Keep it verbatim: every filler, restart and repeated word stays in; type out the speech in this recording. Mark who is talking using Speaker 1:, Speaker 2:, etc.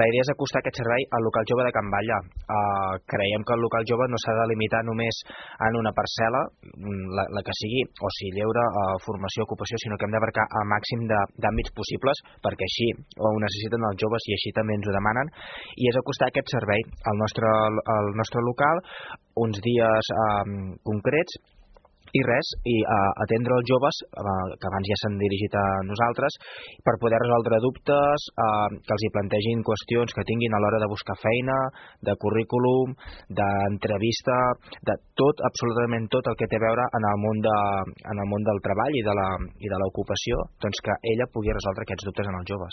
Speaker 1: La idea és acostar aquest servei al local jove de Can Batlle. Uh, creiem que el local jove no s'ha de limitar només en una parcel·la, la, la que sigui, o si lleure, uh, formació, ocupació, sinó que hem d'abarcar el màxim d'àmbits possibles, perquè així ho necessiten els joves i així també ens ho demanen, i és acostar aquest servei al nostre, al nostre local, uns dies um, concrets, i res, i uh, atendre els joves, uh, que abans ja s'han dirigit a nosaltres, per poder resoldre dubtes, uh, que els hi plantegin qüestions que tinguin a l'hora de buscar feina, de currículum, d'entrevista, de tot, absolutament tot el que té a veure en el món, de, en el món del treball i de la, i de l'ocupació, doncs que ella pugui resoldre aquests dubtes en els joves.